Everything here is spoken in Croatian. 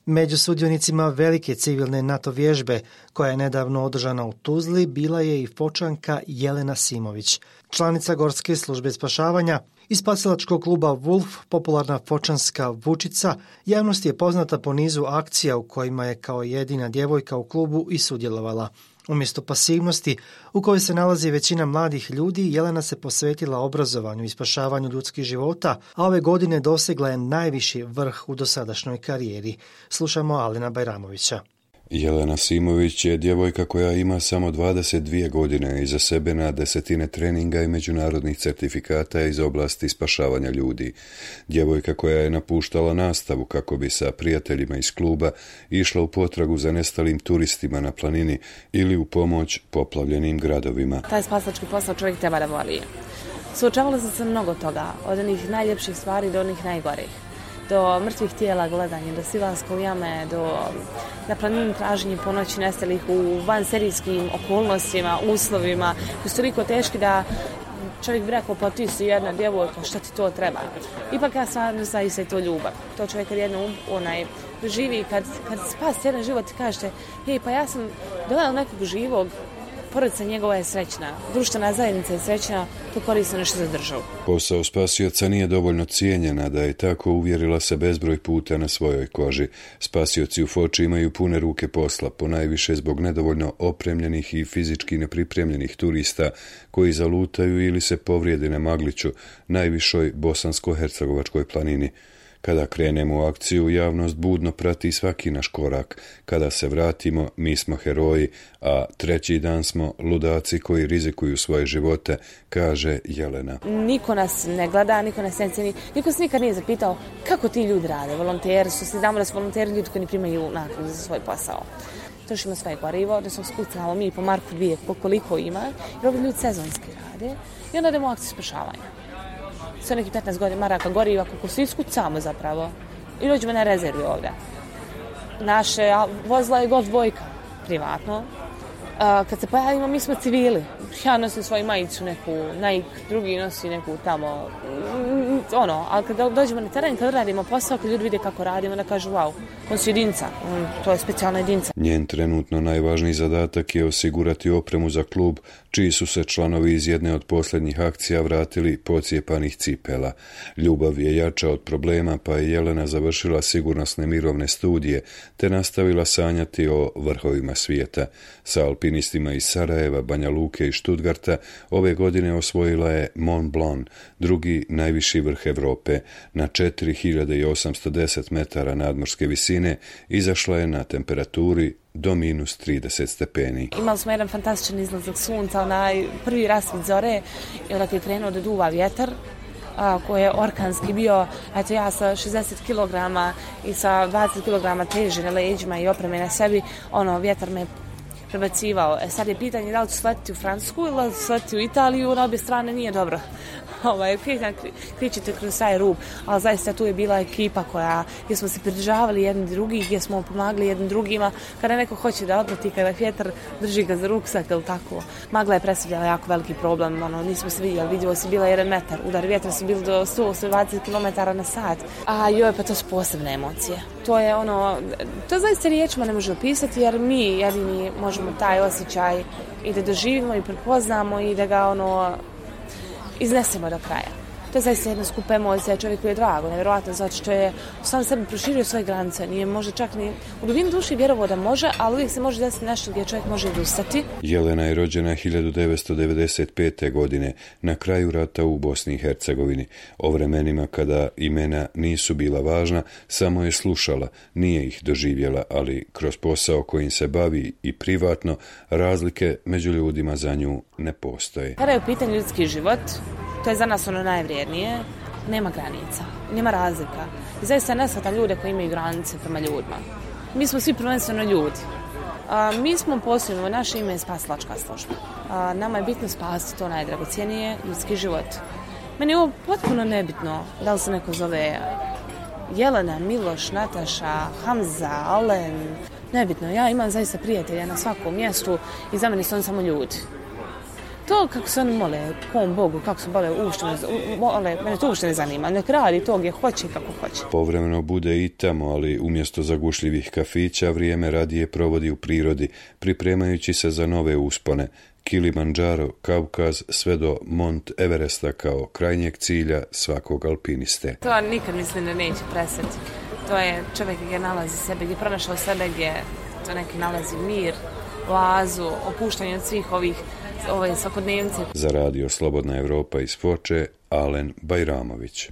Među sudionicima velike civilne NATO vježbe, koja je nedavno održana u Tuzli, bila je i Fočanka Jelena Simović, članica Gorske službe spašavanja. Iz spasilačkog kluba Wolf, popularna fočanska Vučica, javnost je poznata po nizu akcija u kojima je kao jedina djevojka u klubu i sudjelovala. Umjesto pasivnosti u kojoj se nalazi većina mladih ljudi, Jelena se posvetila obrazovanju i spašavanju ljudskih života, a ove godine dosegla je najviši vrh u dosadašnjoj karijeri. Slušamo Alina Bajramovića. Jelena Simović je djevojka koja ima samo 22 godine iza sebe na desetine treninga i međunarodnih certifikata iz oblasti spašavanja ljudi. Djevojka koja je napuštala nastavu kako bi sa prijateljima iz kluba išla u potragu za nestalim turistima na planini ili u pomoć poplavljenim gradovima. Taj spasilački posao čovjek treba da voli. Suočavala sam se mnogo toga, od onih najljepših stvari do onih najgorih. Do mrtvih tijela gledanje, do silaska u jame, do na planini traženje po noći nestalih u vanserijskim okolnostima, uslovima, koji su toliko teški da čovjek bi rekao, pa ti si jedna djevojka, šta ti to treba? Ipak ja stvarno zaista je to ljubav. To čovjek kad jedno živi, kad spasi jedan život i kažete, hej, pa ja sam dodala nekog živog, porodica njegova je srećna, društvena zajednica je srećna, to koristi nešto za državu. Posao spasioca nije dovoljno cijenjena da je tako uvjerila se bezbroj puta na svojoj koži. Spasioci u Foči imaju pune ruke posla, ponajviše zbog nedovoljno opremljenih i fizički nepripremljenih turista koji zalutaju ili se povrijede na Magliću, najvišoj bosansko-hercegovačkoj planini. Kada krenemo u akciju, javnost budno prati svaki naš korak. Kada se vratimo, mi smo heroji, a treći dan smo ludaci koji rizikuju svoje živote, kaže Jelena. Niko nas ne gleda, niko nas ne cijeni, niko se nikad nije zapitao kako ti ljudi rade. Volonteri su, svi znamo da su volonteri ljudi koji ne primaju naknadu za svoj posao. Trošimo svoje gorivo, da smo skucamo mi po marku 2 koliko ima, jer ovi ljudi sezonski rade i onda idemo u akciju spašavanja. Sve neki 15 maraka goriva, kako svi iskucamo zapravo. I dođemo na rezervi ovdje. Naše vozila je Golf dvojka, privatno. Kad se pojavimo, mi smo civili. Ja nosim svoju majicu neku, Nike, drugi nosi neku tamo, ali kad dođemo na teren, kad radimo posao, kad ljudi vide kako radimo, da kažu, wow, on su jedinca, to je specijalna jedinca. Njen trenutno najvažniji zadatak je osigurati opremu za klub, čiji su se članovi iz jedne od posljednjih akcija vratili pocijepanih cipela. Ljubav je jača od problema, pa je Jelena završila sigurnosne mirovne studije, te nastavila sanjati o vrhovima svijeta. Sa alpinistima iz Sarajeva, Banja Luke i Stuttgarta ove godine osvojila je Mont Blanc, drugi najviši vrh Europe. Na 4810 metara nadmorske visine izašla je na temperaturi do -30 stepeni. Imali smo jedan fantastičan izlazak sunca, onaj prvi rasvit zore, i onda je krenuo da duva vjetar, koji je orkanski bio, eto ja sa 60 kg i sa 20 kg teže na leđima i opreme na sebi, vjetar me prebacivao. Sad je pitanje da li ću sletiti u Francusku ili da li ću sletiti u Italiju, na obje strane nije dobro. Kričite kroz taj rub, ali zaista tu je bila ekipa gdje smo se pridržavali jedni drugih, gdje smo pomagali jednim drugima. Kada neko hoće da odleti, kada vjetar drži ga za ruksak ili tako. Magla je predstavljala jako veliki problem, nismo se vidjeli, vidjelo se bila 1 metar, udar vjetra su bili do 120 km na sat. Pa to su posebne emocije. To zaista riječima ne može opisati, jer mi jedini možemo taj osjećaj i da doživimo i prepoznamo i da ga iznesemo do kraja. To je zaista jedna skupa emocija, čovjeku je drago, nevjerojatno, zato što je sam sebi proširio svoje granice, nije možda čak ni u dubini duši vjerovao da može, ali uvijek se može desiti nešto gdje čovjek može odustati. Jelena je rođena 1995. godine, na kraju rata u Bosni i Hercegovini. O vremenima kada imena nisu bila važna, samo je slušala, nije ih doživjela, ali kroz posao kojim se bavi i privatno, razlike među ljudima za nju ne postoje. Kada je u pitanju ljudski život, to je za nas najvrijednije, nema granica, nema razlika. I zaista ne shvatam ljude koji imaju granice prema ljudima. Mi smo svi prvenstveno ljudi. Mi smo posebno, naše ime je spasilačka služba. Nama je bitno spasiti to najdragocjenije, ljudski život. Meni je ovo potpuno nebitno da li se neko zove Jelena, Miloš, Nataša, Hamza, Alen. Nebitno, ja imam zaista prijatelja na svakom mjestu i za mene su oni samo ljudi. To kako se oni mole, kom Bogu, kako se mole, mene to uopšte ne zanima. Nek radi to gdje hoće i kako hoće. Povremeno bude i tamo, ali umjesto zagušljivih kafića vrijeme radije provodi u prirodi, pripremajući se za nove uspone. Kilimandžaro, Kavkaz, sve do Mont Everesta kao krajnjeg cilja svakog alpiniste. To nikad mislim da neće prestati. To je čovjek gdje nalazi sebe, gdje pronašao sebe, gdje to neki nalazi mir, oazu, opuštanje od svih ove svakodnevnice. Za radio Slobodna Evropa iz Foče, Alen Bajramović.